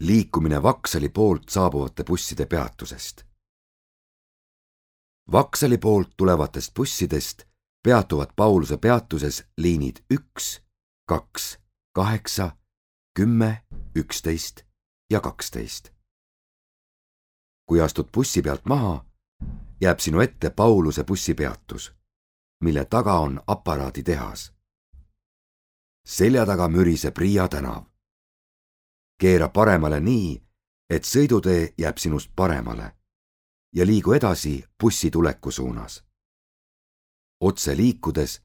liikumine Vaksali poolt saabuvate busside peatusest. Vaksali poolt tulevatest bussidest peatuvad Pauluse peatuses liinid 1, 2, 8, 10, 11 ja 12. Kui astud bussi pealt maha, jääb sinu ette Pauluse bussipeatus, mille taga on aparaaditehas. Selja taga müriseb Riia tänav. Keera paremale nii, et sõidutee jääb sinust paremale ja liigu edasi bussi tuleku suunas. Otse liikudes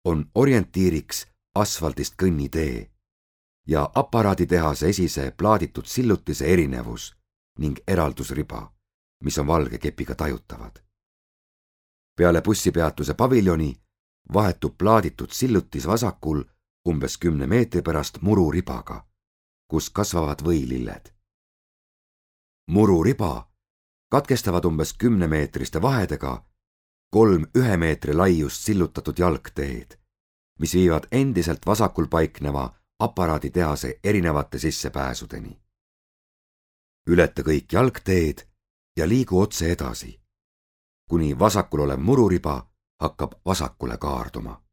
on orientiiriks asfaldist kõnnitee ja aparaaditehase esise plaaditud sillutise erinevus ning eraldusriba, mis on valge kepiga tajutavad. Peale bussipeatuse paviljoni vahetub plaaditud sillutis vasakul umbes 10 meetri pärast mururibaga, kus kasvavad võililled. Mururiba katkestavad umbes 10-meetriste vahedega 3 1 meetri laiust sillutatud jalgteed, mis viivad endiselt vasakul paikneva aparaaditehase erinevate sissepääsudeni. Ületa kõik jalgteed ja liigu otse edasi, kuni vasakul olev mururiba hakkab vasakule kaarduma.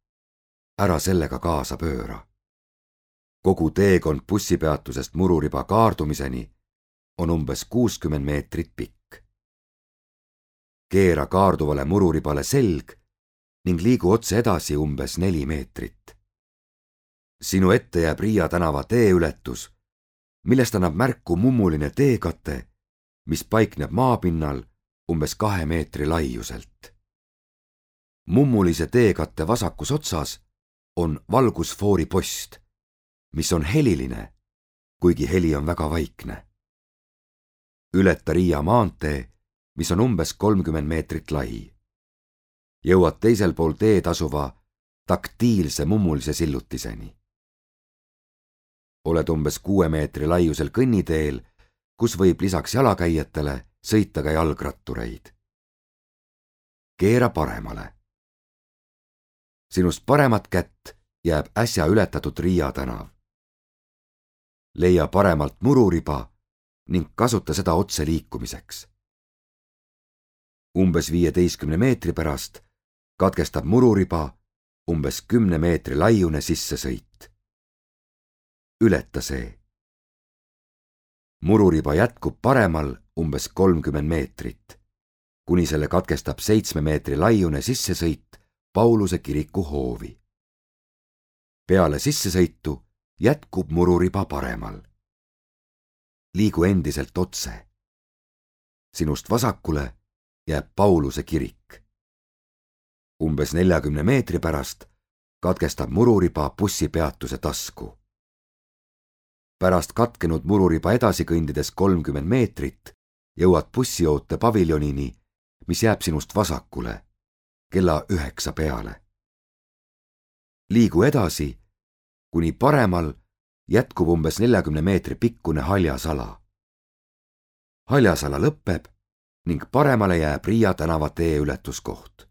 Ära sellega kaasa pööra. Kogu teekond bussipeatusest mururiba kaardumiseni on umbes 60 meetrit pikk. Keera kaarduvale mururibale selg ning liigu otse edasi umbes 4 meetrit. Sinu ette jääb Riia tänava teeületus, millest annab märku mummuline teekate, mis paikneb maapinnal umbes 2 meetri laiuselt. Mummulise teekatte vasakus otsas on valgusfoori post, mis on heliline, kuigi heli on väga vaikne. Ületa Riia maantee, mis on umbes 30 meetrit lai. Jõuad teisel pool teed asuva taktiilse mummulise sillutiseni. Oled umbes 6 meetri laiusel kõnniteel, kus võib lisaks jalakäijatele sõita ka jalgrattureid. Keera paremale. Sinust paremat kätt jääb äsja ületatud Riia tänav. Leia paremalt mururiba ning kasuta seda otse liikumiseks. Umbes 15 meetri pärast katkestab mururiba umbes 10 meetri laiune sissesõit. Ületa see. Mururiba jätkub paremal umbes 30 meetrit, kuni selle katkestab 7 meetri laiune sissesõit Pauluse kiriku hoovi. Peale sissesõitu jätkub mururiba paremal. Liigu endiselt otse. Sinust vasakule jääb Pauluse kirik. Umbes 40 meetri pärast katkestab mururiba bussipeatuse tasku. Pärast katkenud mururiba edasi kõndides 30 meetrit jõuad bussioota paviljonini, mis jääb sinust vasakule, kella 9 peale. Liigu edasi, kuni paremal jätkub umbes 40 meetri pikkune haljasala. Haljasala lõpeb ning paremale jääb Riia tänava teeületuskoht.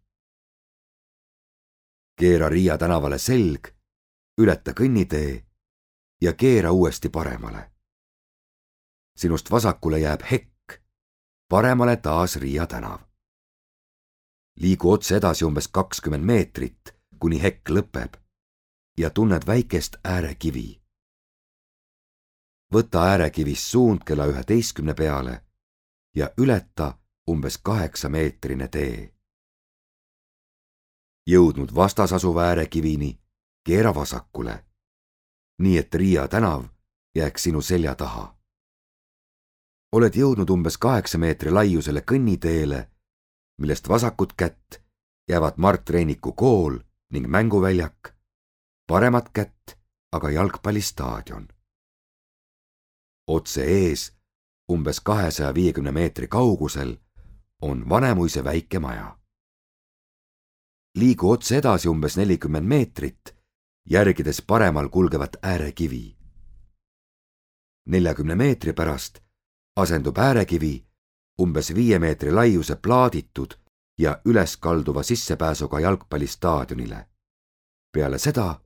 Keera Riia tänavale selg, ületa kõnnitee ja keera uuesti paremale. Sinust vasakule jääb hekk, paremale taas Riia tänav. Liigu otse edasi umbes 20 meetrit, kuni hekk lõpeb ja tunned väikest äärekivi. Võta äärekivist suund kella 11 peale ja ületa umbes 8-meetrine tee. Jõudnud vastas asuva äärekivini, keera vasakule, nii et Riia tänav jääks sinu selja taha. Oled jõudnud umbes 8 meetri laiusele kõnniteele, millest vasakut kätt jäävad Mart Reiniku kool ning mänguväljak, paremat kätt aga jalgpallistaadion. Otse ees, umbes 250 meetri kaugusel, on Vanemuise väike maja. Liigu otse edasi umbes 40 meetrit, järgides paremal kulgevat äärekivi. 40 meetri pärast asendub äärekivi umbes 5 meetri laiuse plaaditud ja üleskalduva sissepääsuga jalgpallistaadionile. Peale seda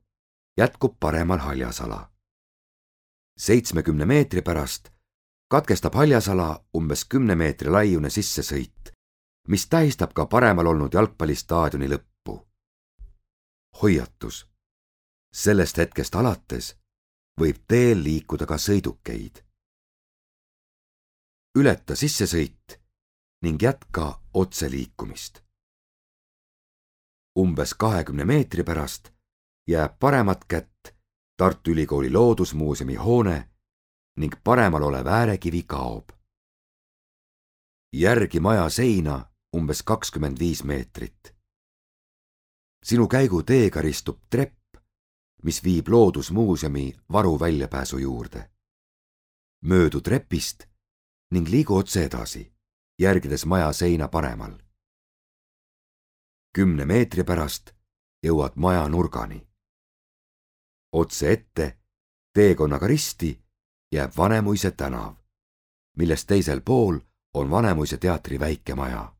jätkub paremal haljasala. 70 meetri pärast katkestab haljasala umbes 10 meetri laiune sissesõit, mis tähistab ka paremal olnud jalgpallistaadioni lõppu. Hoiatus. Sellest hetkest alates võib teel liikuda ka sõidukeid. Ületa sissesõit ning jätka otseliikumist. Umbes 20 meetri pärast jääb paremat kätt Tartu Ülikooli loodusmuuseumi hoone ning paremal olev äärekivi kaob. Järgi maja seina umbes 25 meetrit. Sinu käiguteega ristub trepp, mis viib loodusmuuseumi varuväljapääsu juurde. Möödu trepist ning liigu otse edasi, järgides maja seina paremal. 10 meetri pärast jõuad maja nurgani. Otse ette, teekonnaga risti, jääb Vanemuise tänav, millest teisel pool on Vanemuise teatri väike maja.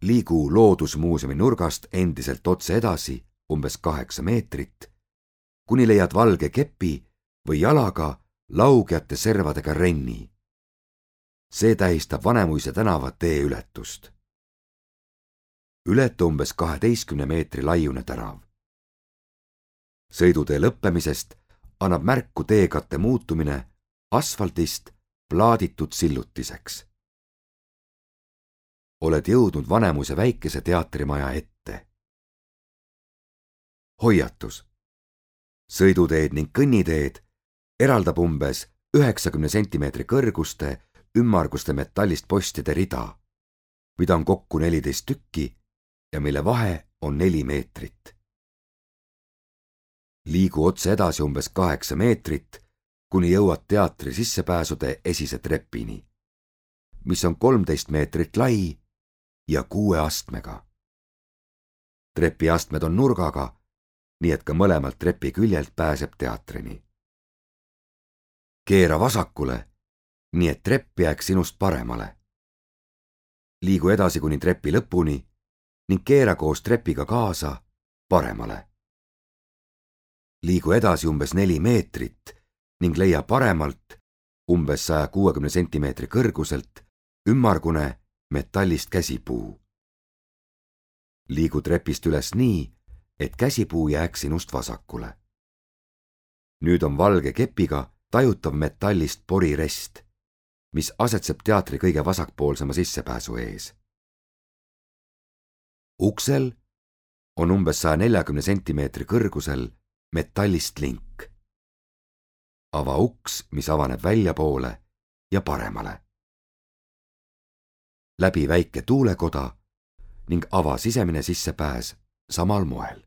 Liigu loodusmuuseumi nurgast endiselt otse edasi umbes 8 meetrit, kuni leiad valge kepi või jalaga laugejate servadega renni. See tähistab Vanemuise tänava teeületust. Ületa umbes 12 meetri laiune tänav. Sõidutee lõppemisest annab märku teekatte muutumine asfaltist plaaditud sillutiseks. Oled jõudnud Vanemuise väikese teatrimaja ette. Hoiatus. Sõiduteed ning kõnniteed eraldab umbes 90 sentimeetri kõrguste ümmarguste metallist postide rida, mida on kokku 14 tükki ja mille vahe on 4 meetrit. Liigu otse edasi umbes 8 meetrit, kuni jõuad teatri sissepääsude esise trepini, mis on 13 meetrit lai ja 6 astmega. Trepiastmed on nurgaga, nii et ka mõlemalt trepi küljelt pääseb teatrini. Keera vasakule, nii et trepp jääks sinust paremale. Liigu edasi kuni trepi lõpuni ning keera koos trepiga kaasa paremale. Liigu edasi umbes 4 meetrit ning leia paremalt umbes 160 sentimeetri kõrguselt ümmargune metallist käsipuu. Liigu trepist üles nii, et käsipuu jääks sinust vasakule. Nüüd on valge kepiga tajutav metallist porirest, mis asetseb teatri kõige vasakpoolsema sissepääsu ees. Uksel on umbes 140 sentimeetri kõrgusel metallist link. Ava uks, mis avaneb väljapoole ja paremale. Läbi väike tuulekoda ning ava sisemine sissepääs samal moel.